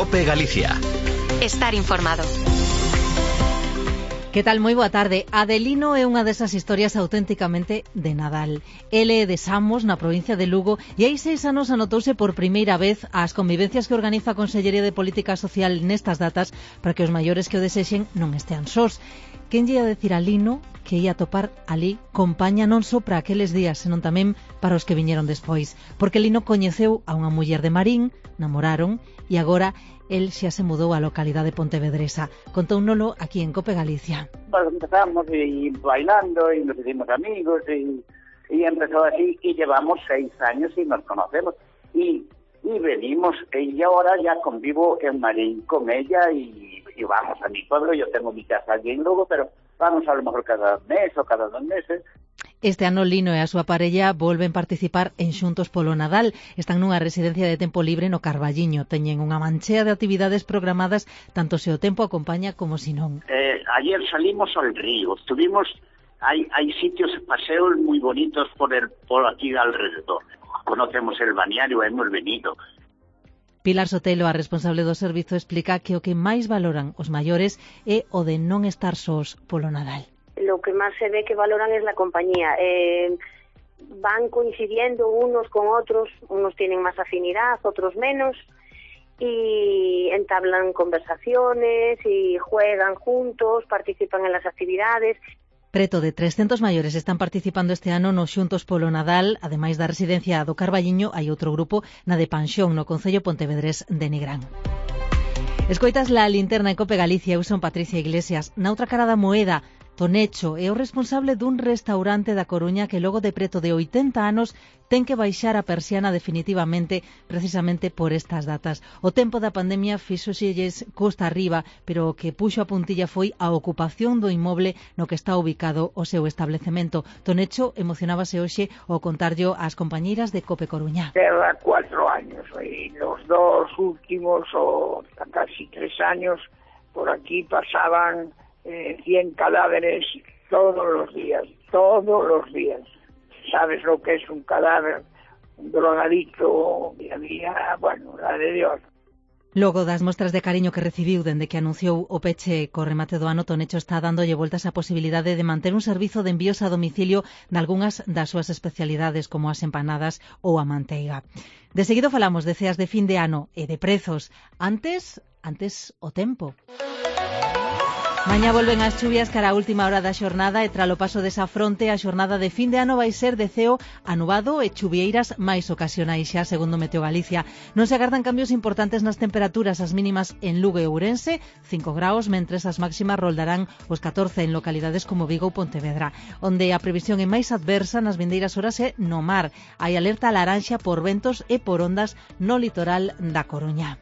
COPE Galicia. Estar informado. Que tal? Moi boa tarde. Adelino é unha desas historias auténticamente de Nadal. Ele é de Samos, na provincia de Lugo, e hai 6 anos anotouse por primeira vez ás convivencias que organiza a Consellería de Política Social nestas datas para que os maiores que o desexen non estean sós. Quen lle ia decir a Lino que ia topar ali compaña non só para aqueles días, senón tamén para os que viñeron despois. Porque Lino coñeceu a unha muller de Marín, namoraron, e agora el xa se mudou á localidade pontevedresa. Contounolo aquí en COPE Galicia. Pues empezamos bailando y nos hicimos amigos y empezó así y llevamos 6 años y nos conocemos y venimos y ahora ya convivo en Marín con ella y vamos a mi pueblo. Yo tengo mi casa aquí en Lugo, pero vamos a lo mejor cada mes o cada 2 meses. Este ano Lino e a súa parella volven participar en Xuntos polo Nadal. Están nunha residencia de tempo libre no Carballiño. Teñen unha manchea de actividades programadas tanto se o tempo acompaña como se non. Ayer salimos al río. Hay sitios, paseos muy bonitos por aquí alrededor. Conocemos el balneario, hemos venido. Pilar Sotelo, a responsable do servizo, explica que o que máis valoran os maiores é o de non estar sós polo Nadal. Lo que más se ve que valoran es la compañía. Van coincidiendo unos con otros, unos tienen más afinidad, otros menos, y entablan conversaciones y juegan juntos, participan en las actividades. Preto de 300 maiores están participando este ano no Xuntos polo Nadal. Ademais da residencia do Carballiño, hai outro grupo na de Panxón, no concello pontevedrés de Nigrán. Escoitas la linterna en COPE Galicia. Eu son Patricia Iglesias. Na outra cara da moeda, Tonecho é o responsable dun restaurante da Coruña que logo de preto de 80 anos ten que baixar a persiana definitivamente precisamente por estas datas. O tempo da pandemia fíxoselles costa arriba, pero o que puxo a puntilla foi a ocupación do inmoble no que está ubicado o seu establecemento. Tonecho emocionábase hoxe ao contarllo ás compañeiras de COPE Coruña. Lleva 4 años y los 2 últimos o casi 3 años por aquí pasaban 100 cadáveres todos los días. ¿Sabes lo que es un cadáver? Un drogadicto, y había, bueno, la de Dios. Logo das mostras de cariño que recibiu dende que anunciou o peche co remate do ano, Tonecho está dándolle voltas á posibilidade de manter un servizo de envíos a domicilio nalgunhas das súas especialidades como as empanadas ou a manteiga. De seguido falamos de ceas de fin de ano e de prezos. Antes o tempo. Mañá volven as chuvias cara a última hora da xornada e tralo paso desa fronte a xornada de fin de ano vai ser de ceo anubado e chuvieiras máis ocasionais xa, segundo Meteo Galicia. Non se agardan cambios importantes nas temperaturas, as mínimas en Lugo e Ourense, 5 graus, mentres as máximas roldarán os 14 en localidades como Vigo ou Pontevedra. Onde a previsión é máis adversa nas vindeiras horas é no mar. Hai alerta laranxa por ventos e por ondas no litoral da Coruña.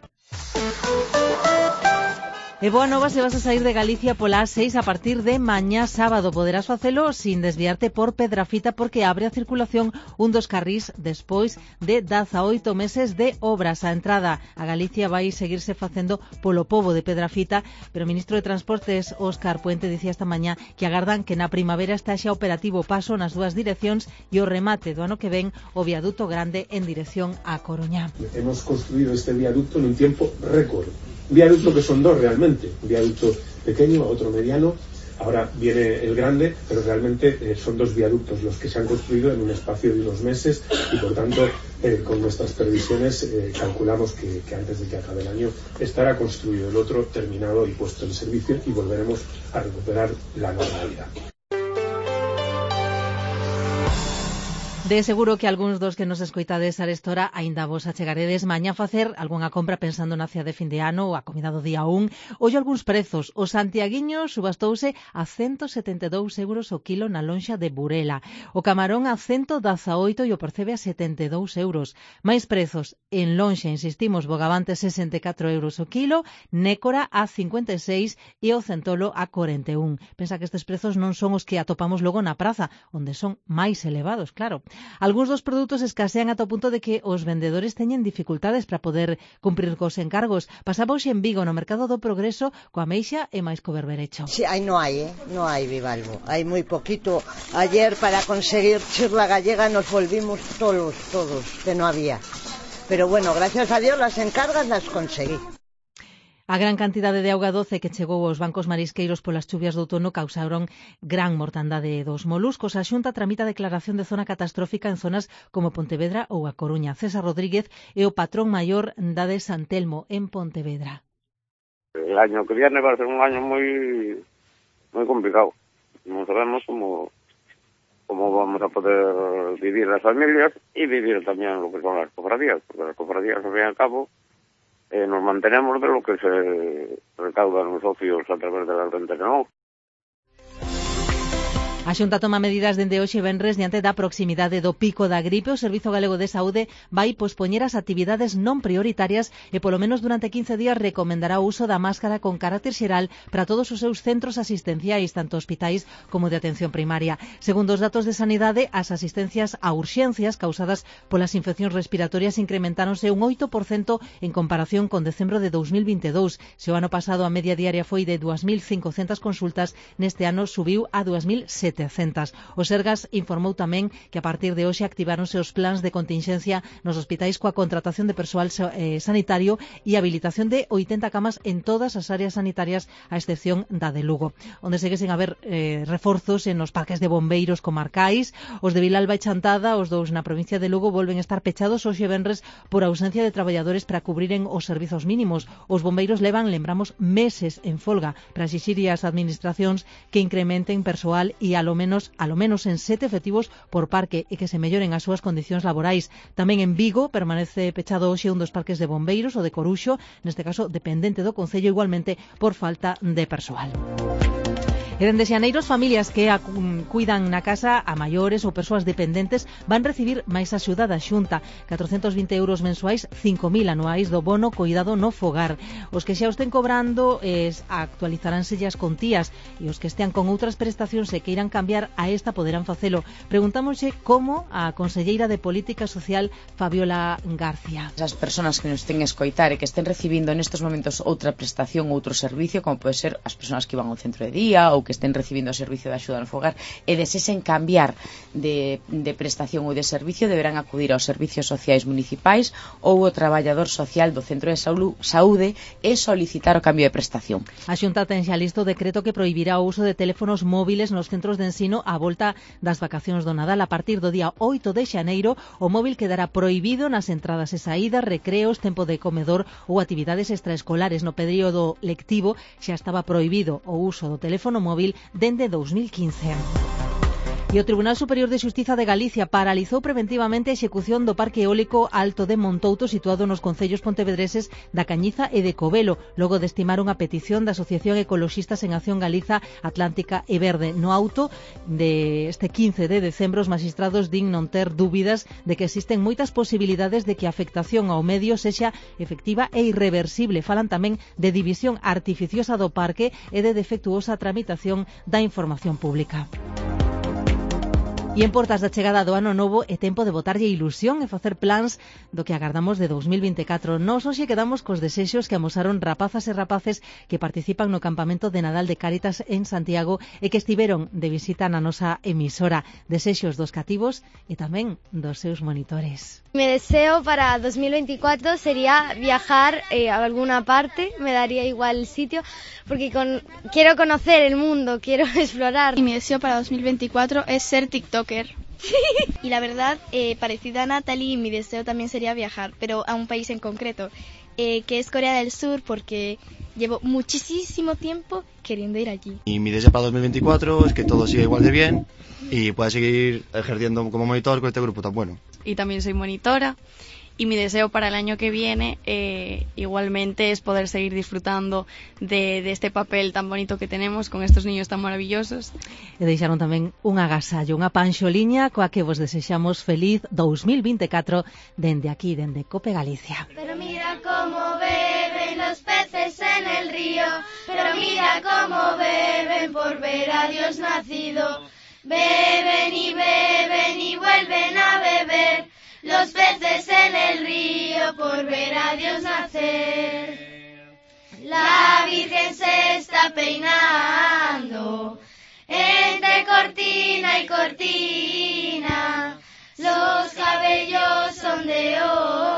E boa nova se vas a sair de Galicia pola A6 a partir de mañá sábado. Poderás facelo sin desviarte por Pedrafita porque abre a circulación un dos carrís despois de 18 meses de obras. A entrada a Galicia vai seguirse facendo polo pobo de Pedrafita, pero o ministro de Transportes, Óscar Puente, dicía esta mañá que agardan que na primavera está xa operativo paso nas dúas direccións e o remate do ano que ven o viaduto grande en dirección a Coruña. Hemos construído este viaducto en un tiempo récord. Un viaducto que son 2 realmente, un viaducto pequeño, otro mediano, ahora viene el grande, pero realmente son 2 viaductos los que se han construido en un espacio de unos meses y por tanto con nuestras previsiones calculamos que antes de que acabe el año estará construido el otro, terminado y puesto en servicio y volveremos a recuperar la normalidad. De seguro que algúns dos que nos escoitades a esta hora aínda vos achegaredes mañá a facer algunha compra pensando na cea de fin de ano ou a comida do día 1. Ollo algúns prezos. O santiaguiño subastouse a 172 euros o kilo na lonxa de Burela. O camarón a 118 e o percebe a 72 euros. Mais prezos en lonxa, insistimos, bogavante 64 euros o kilo, nécora a 56 e o centolo a 41. Pensa que estes prezos non son os que atopamos logo na praza, onde son máis elevados, claro. Algúns dos produtos escasean ata o punto de que os vendedores teñen dificultades para poder cumprir cos encargos. Pasaba hoxe en Vigo, no Mercado do Progreso, coa ameixa e máis co berberecho. Sí, no hai bivalvo. Hai moi poquito. Ayer para conseguir chirla gallega nos volvimos todos, que no había. Pero bueno, gracias a Dios las encargas las conseguí. A gran cantidade de auga doce que chegou aos bancos marisqueiros polas chuvias do outono causaron gran mortandade dos moluscos. A Xunta tramita declaración de zona catastrófica en zonas como Pontevedra ou A Coruña. César Rodríguez é o patrón maior da de San Telmo, en Pontevedra. El año que viene va a ser un año muy complicado. No sabemos cómo vamos a poder vivir las familias y vivir también lo que son las cofradías, porque las cofradías, al fin y al cabo, nos mantenemos de lo que se recaudan los socios a través de las rentas, ¿no? A Xunta toma medidas dende hoxe venres diante da proximidade do pico da gripe. O Servizo Galego de Saúde vai pospoñer as actividades non prioritarias e polo menos durante 15 días recomendará o uso da máscara con carácter xeral para todos os seus centros asistenciais, tanto hospitais como de atención primaria. Segundo os datos de Sanidade, as asistencias a urxencias causadas polas infeccións respiratorias incrementáronse un 8% en comparación con decembro de 2022. Se o ano pasado a media diaria foi de 2.500 consultas, neste ano subiu a 2.700. O Sergas informou tamén que a partir de hoxe activáronse os plans de continxencia nos hospitais coa contratación de persoal sanitario e habilitación de 80 camas en todas as áreas sanitarias, a excepción da de Lugo, onde seguesen a haber reforzos en os parques de bombeiros comarcais. Os de Vilalba e Chantada, os dous na provincia de Lugo, volven a estar pechados hoxe venres por ausencia de traballadores para cubriren os servizos mínimos. Os bombeiros levan, lembramos, meses en folga para exixir as administracións que incrementen persoal e a lo menos en 7 efectivos por parque e que se melloren as súas condicións laborais. Tamén en Vigo permanece pechado hoxe un dos parques de bombeiros, o de Coruxo, neste caso dependente do Concello, igualmente por falta de persoal. E dende xaneiros, familias que cuidan na casa a maiores ou persoas dependentes van recibir máis axuda da Xunta, 420 euros mensuais, 5.000 anuais do bono Coidado no Fogar. Os que xa os estén cobrando actualizaránse as contías e os que estean con outras prestacións e que irán cambiar a esta poderán facelo. Preguntámoslle como a conselleira de Política Social, Fabiola García. As persoas que nos estén escoitar e que estén recibindo nestes momentos outra prestación ou outro servicio, como pode ser as persoas que van ao centro de día ou que estén recibindo o servicio de axuda no fogar e desesen cambiar de prestación ou de servicio, deberán acudir aos servicios sociais municipais ou ao traballador social do centro de saúde e solicitar o cambio de prestación. A Xunta ten xa listo o decreto que prohibirá o uso de teléfonos móviles nos centros de ensino á volta das vacacións do Nadal. A partir do día 8 de xaneiro, o móvil quedará prohibido nas entradas e saídas, recreos, tempo de comedor ou actividades extraescolares. No período lectivo xa estaba prohibido o uso do teléfono móvil dende 2015. E o Tribunal Superior de Xustiza de Galicia paralizou preventivamente a execución do Parque Eólico Alto de Montouto, situado nos concellos pontevedreses da Cañiza e de Covelo, logo de estimar unha petición da Asociación Ecoloxistas en Acción Galiza, Atlántica e Verde. No auto de este 15 de decembro, os magistrados din non ter dúbidas de que existen moitas posibilidades de que a afectación ao medio sexa efectiva e irreversible. Falan tamén de división artificiosa do parque e de defectuosa tramitación da información pública. E en portas da chegada do ano novo é tempo de botarlle ilusión e facer plans do que agardamos de 2024. Nos hoxe quedamos cos desexos que amosaron rapazas e rapaces que participan no campamento de Nadal de Cáritas en Santiago e que estiveron de visita na nosa emisora. Desexos dos cativos e tamén dos seus monitores. Mi deseo para 2024 sería viajar a alguna parte, me daría igual el sitio, porque quiero conocer el mundo, quiero explorar. Y mi deseo para 2024 es ser TikToker. Y la verdad, parecida a Natalie, mi deseo también sería viajar, pero a un país en concreto, que es Corea del Sur, porque llevo muchísimo tiempo queriendo ir allí. Y mi deseo para 2024 es que todo siga igual de bien y pueda seguir ejerciendo como monitor con este grupo tan bueno. Y también soy monitora. Y mi deseo para el año que viene igualmente es poder seguir disfrutando de este papel tan bonito que tenemos con estos niños tan maravillosos. E deixaron tamén un agasallo, unha panxoliña coa que vos desexamos feliz 2024 dende aquí, dende Cope Galicia. Pero mira cómo beben los peces en el río, pero mira cómo beben por ver a Dios nacido. Beben y vuelven a beber los peces en el río por ver a Dios nacer. La Virgen se está peinando entre cortina y cortina, los cabellos son de oro.